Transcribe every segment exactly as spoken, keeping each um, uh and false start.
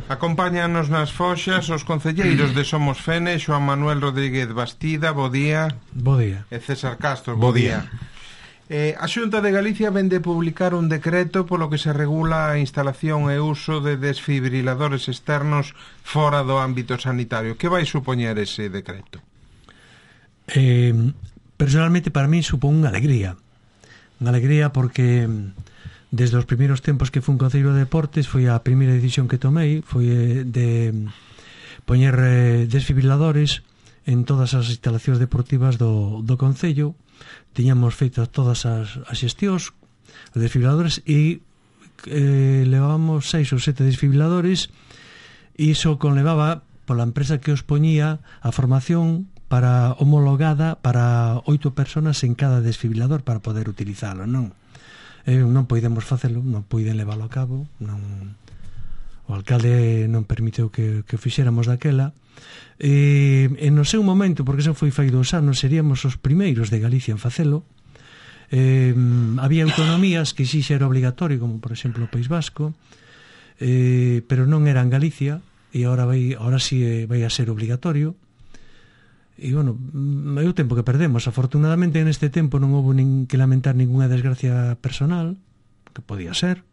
Acompáñanos nas foxas os concelleiros de Somos Fene, Xoán Manuel Rodríguez Bastida, bo día. Bo día. E César Castro, bo día. Eh, a Xunta de Galicia vende publicar un decreto polo que se regula a instalación e uso de desfibriladores externos fora do ámbito sanitario. Que vai supoñer ese decreto? Eh, personalmente para mí supón unha alegría. Unha alegría porque desde os primeiros tempos que fui un concelleiro de deportes foi a primeira decisión que tomei foi de poñer desfibriladores en todas as instalacións deportivas do, do concello. Tiñamos feito todas as, as xestións, os desfibriladores, e eh, levábamos seis ou sete desfibriladores, e iso conlevaba pola empresa que os poñía a formación para homologada para oito personas en cada desfibrilador para poder utilizalo, non? Eh, non podemos facelo, non poden leválo a cabo, non... o alcalde non permitiu que, que fixéramos daquela. E, e no seu momento, porque eso foi fai dous anos, seríamos os primeiros de Galicia en facelo. Eh, había autonomías que xixe era obligatorio, como por exemplo o País Vasco, eh, pero non era en Galicia, e agora vai, agora sí vai a ser obligatorio. E, bueno, é o tempo que perdemos. Afortunadamente, neste tempo non houve nin que lamentar ninguna desgracia personal, que podía ser.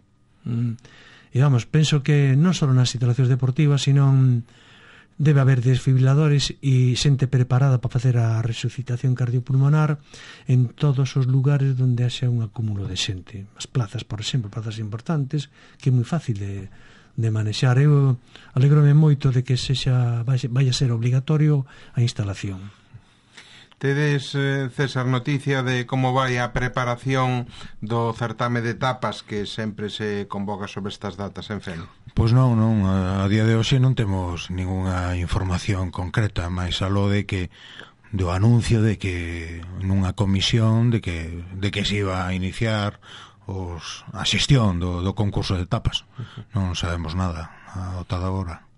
E, vamos, penso que non só nas instalacións deportivas, sino debe haber desfibriladores e xente preparada para facer a resucitación cardiopulmonar en todos os lugares onde haxa un acúmulo de xente. As plazas, por exemplo, plazas importantes, que é moi fácil de, de manexar. Eu alegrome moito de que sexa, vai, vai a ser obligatorio a instalación. Tedes, eh, César, noticia de como vai a preparación do certame de tapas que sempre se convoca sobre estas datas en Fene? Pois non, non, a día de hoxe non temos ningunha información concreta, máis aló de que do anuncio de que nunha comisión de que de que se iba a iniciar os a xestión do, do concurso de tapas. Non sabemos nada a tal hora.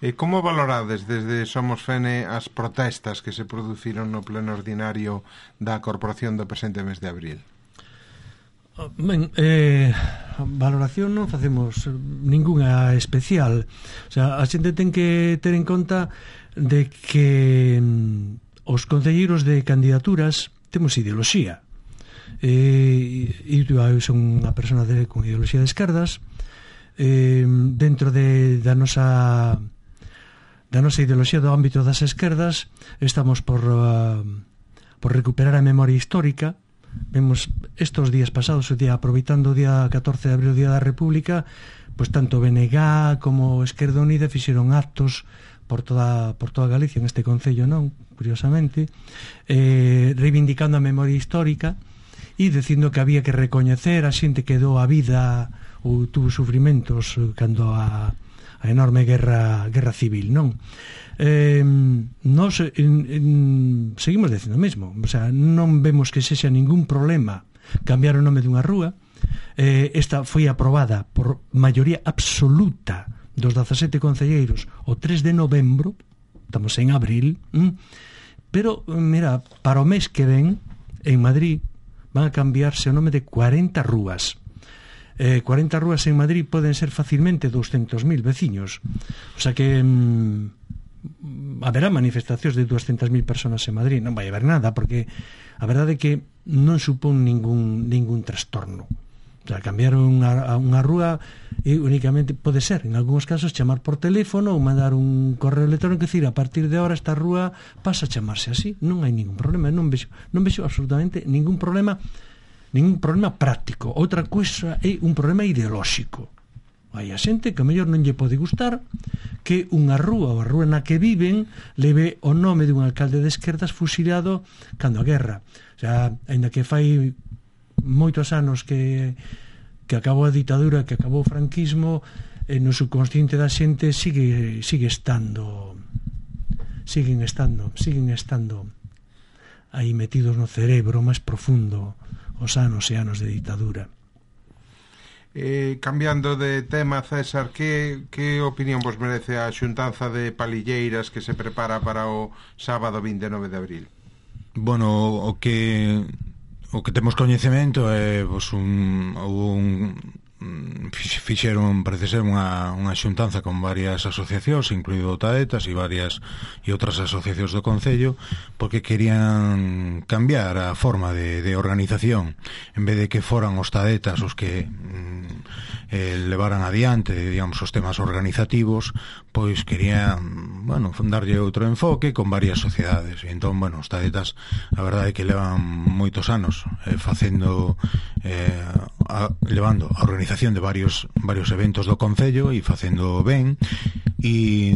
E como valorades desde Somos Fene as protestas que se produciron no pleno ordinario da Corporación do presente mes de abril? Ben, eh, valoración non facemos ningunha especial. O sea, a xente ten que ter en conta de que os concelleiros de candidaturas temos ideoloxía. Eh, e eu son unha persona de, con ideoloxía de esquerdas. Eh, dentro de, da nosa da nosa ideoloxía do ámbito das esquerdas estamos por, uh, por recuperar a memoria histórica. Vemos estos días pasados, o día, aproveitando o día catorce de abril, o Día da República, pois tanto B N G como Esquerda Unida fixeron actos por toda, por toda Galicia, en este concello non, curiosamente, eh, reivindicando a memoria histórica e dicindo que había que recoñecer a xente que dou a vida ou tuvo sufrimentos cando a, a enorme guerra, guerra civil, non? Eh, nos en, en, seguimos dicindo o mesmo, o sea, non vemos que sexa ningún problema cambiar o nome dunha rúa. Eh, esta foi aprobada por maioría absoluta dos dezasete concelleiros o tres de novembro, estamos en abril, hm? Pero mira, para o mes que ven en Madrid van a cambiarse o nome de cuarenta rúas. Eh, cuarenta rúas en Madrid poden ser facilmente douscentos mil veciños, o sea que hm, haberá manifestacións de duascentas mil personas en Madrid. Non vai haber nada, porque a verdade é que non supón ningún, ningún trastorno. O sea, cambiar unha, unha rúa e únicamente pode ser, en algúns casos, chamar por teléfono ou mandar un correo electrónico e dicir, a partir de ahora esta rúa pasa a chamarse así. Non hai ningún problema, non vexo, non vexo absolutamente ningún problema, ningún problema práctico. Outra cousa é un problema ideolóxico. Hai a xente que a mellor non lle pode gustar que unha rúa ou a rúa na que viven leve o nome dun alcalde de esquerdas fusilado cando a guerra. O sea, ainda que fai moitos anos que que acabou a ditadura, que acabou o franquismo, eh, no subconsciente da xente sigue sigue estando siguen estando siguen estando aí metidos no cerebro máis profundo os anos e anos de ditadura. Eh, cambiando de tema, César, que, que opinión vos merece a xuntanza de palilleiras que se prepara para o sábado vinte e nove de abril? Bueno, o que o que temos coñecemento é pois, un, un fixeron, parece ser, unha, unha xuntanza con varias asociacións, incluído Taetas e varias e outras asociacións do Concello, porque querían cambiar a forma de, de organización. En vez de que foran os Taetas os que mm, eh, levaran adiante, digamos, os temas organizativos, pois querían, bueno, darlle outro enfoque con varias sociedades. E entón, bueno, os Taetas, a verdade é que levan moitos anos eh, facendo eh, a, levando a organización de varios varios eventos do Concello e facendo ben, e,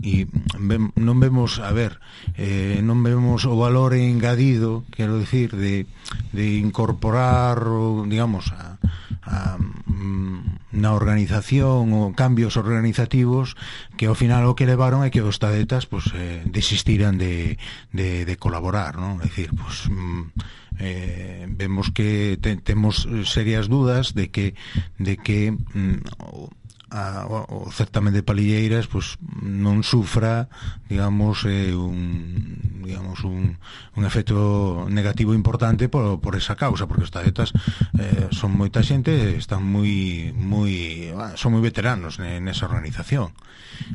e ben, non vemos, a ver, eh, non vemos o valor engadido, quero dicir, de, de incorporar, digamos, a, a, na organización o cambios organizativos que ao final o que levaron é que os Taetas pues, eh, desistiran de, de, de colaborar, non? É dicir, pues, eh, vemos que te, temos serias dudas de que de que mm, a, o certamen de Palilleiras pues, non sufra, digamos, eh, un digamos un, un efecto negativo importante por, por esa causa, porque os Taetas eh, son moita xente, están moi moi son moi veteranos nesa organización.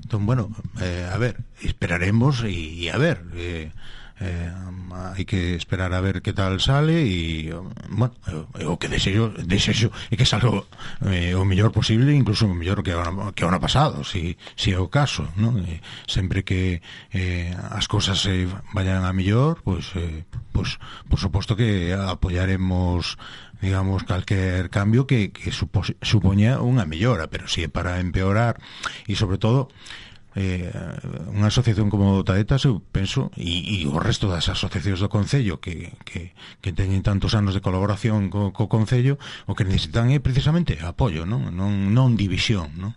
Entón, bueno, eh, a ver, esperaremos e, e a ver, eh, Eh, hai que esperar a ver que tal sale e, bueno, o que desexo, desexo é que salga eh, o mellor posible, incluso o mellor que o ano, que o ano pasado, si, si é o caso, ¿no? Eh, sempre que eh, as cousas se vayan a mellor, pues, eh, pues, por suposto que apoyaremos, digamos, calquer cambio que, que supo, supoña unha mellora, pero si é para empeorar e sobre todo Eh, unha asociación como Taetas, eu penso, e, e o resto das asociacións do Concello que, que, que teñen tantos anos de colaboración co, co Concello, o que necesitan é precisamente apoio, non, non, non división, non?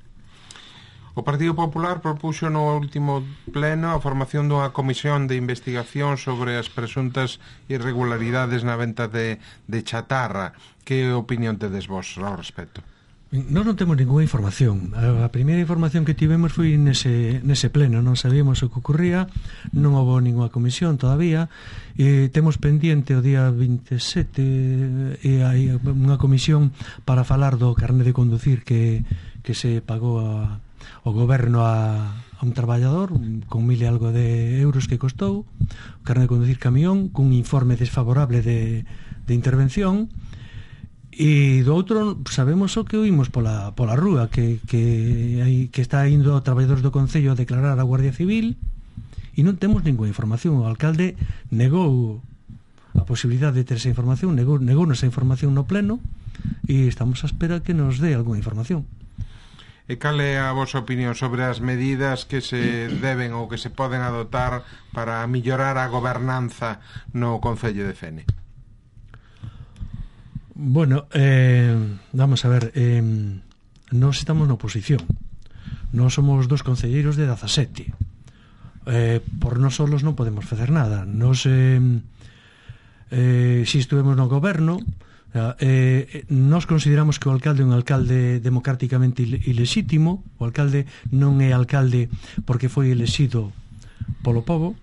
O Partido Popular propuxo no último pleno a formación dunha comisión de investigación sobre as presuntas irregularidades na venta de, de chatarra. Que opinión tedes vos ao respecto? Nós non temos ninguna información. A primeira información que tivemos foi nese, nese pleno. Non sabíamos o que ocurría, non houve ninguna comisión todavía, e temos pendiente o día veintisiete e hai unha comisión para falar do carné de conducir que, que se pagou a, ao goberno a, a un traballador con mil e algo de euros que costou o carné de conducir camión, cun informe desfavorable de, de intervención. E do outro sabemos o que oímos pola, pola rúa que, que, hai, que está indo a traballadores do Concello a declarar a Guardia Civil e non temos ninguna información. O alcalde negou a posibilidade de ter esa información, negou, negou esa información no pleno e estamos a espera que nos dé algunha información. E cal é a vosa opinión sobre as medidas que se deben ou que se poden adoptar para mellorar a gobernanza no Concello de Fene? Bueno, eh, vamos a ver, eh, nós estamos na oposición. Nós somos dos concelleiros de dezasete. Eh, por nós solos non podemos facer nada. Nós, eh, eh, si estuvemos no goberno, eh, nós consideramos que o alcalde é un alcalde democráticamente ilexítimo. O alcalde non é alcalde porque foi elexido polo povo,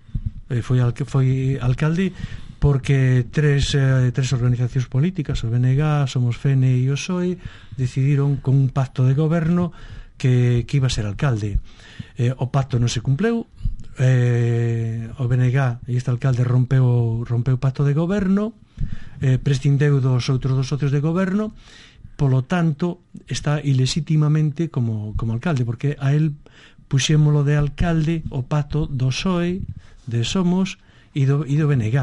eh, foi, al, foi alcalde porque tres, eh, tres organizacións políticas, o B N G, Somos Fene e o P S O E, decidiron con un pacto de goberno que, que iba a ser alcalde. Eh, o pacto non se cumpleu, eh, o B N G e este alcalde rompeu, rompeu o pacto de goberno, eh, prescindeu dos outros dos socios de goberno, polo tanto está ilexítimamente como, como alcalde, porque a él puxémolo de alcalde o pacto do P S O E, de Somos e do, e do B N G.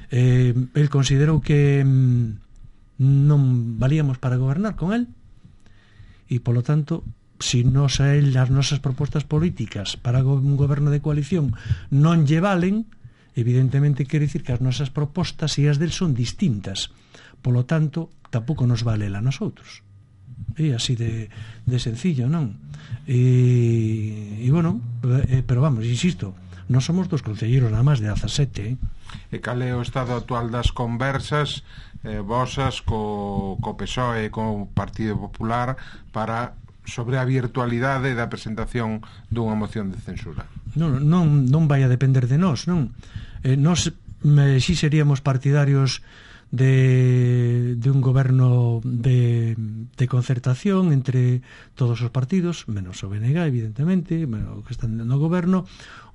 Eh, el considerou que mm, non valíamos para gobernar con el e polo tanto, si nos a el as nosas propostas políticas para un goberno de coalición non lle valen, evidentemente quere dicir que as nosas propostas e as del son distintas, polo tanto tampouco nos vale a nosotros. É así de, de sencillo, non? E, e bueno, eh, pero vamos, insisto, non somos dos concelleiros nada máis de dezasete, eh? E cal é o estado actual das conversas eh, vosas co, co P S O E e co Partido Popular para sobre a virtualidade da presentación dunha moción de censura? Non, non, non vai a depender de nós, non? Eh, nós eh, si seríamos partidarios de, de un goberno de, de concertación entre todos os partidos, menos o B N G, evidentemente, o que están no goberno,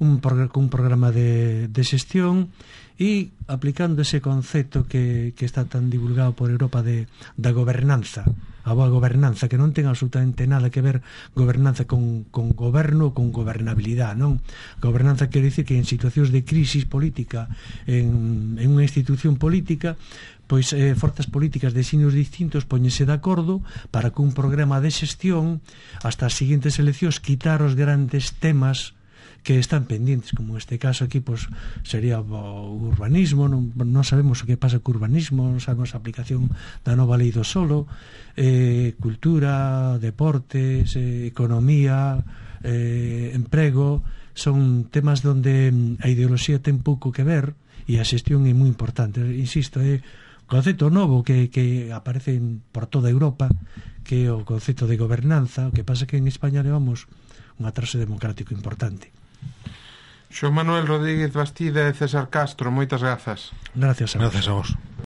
un, un programa de, de xestión e aplicando ese concepto que, que está tan divulgado por Europa de, da gobernanza, a boa gobernanza, que non ten absolutamente nada que ver gobernanza con, con goberno ou con gobernabilidade, non? Gobernanza quere dicir que en situacións de crisis política en, en unha institución política, pois eh, forzas políticas de signos distintos poñense de acordo para que un programa de xestión hasta as seguintes eleccións quitar os grandes temas que están pendientes, como neste caso aquí pues, sería o urbanismo, non, non sabemos o que pasa co urbanismo, non sabemos a aplicación da nova lei do solo, eh, cultura, deportes, eh, economía, eh, emprego, son temas donde a ideoloxía ten pouco que ver e a xestión é moi importante. Insisto, é un concepto novo que, que aparece por toda Europa, que é o concepto de gobernanza. O que pasa que en España levamos un atraso democrático importante. Xoán Manuel Rodríguez Bastida e César Castro, moitas grazas. Gracias a vos. Gracias a vos.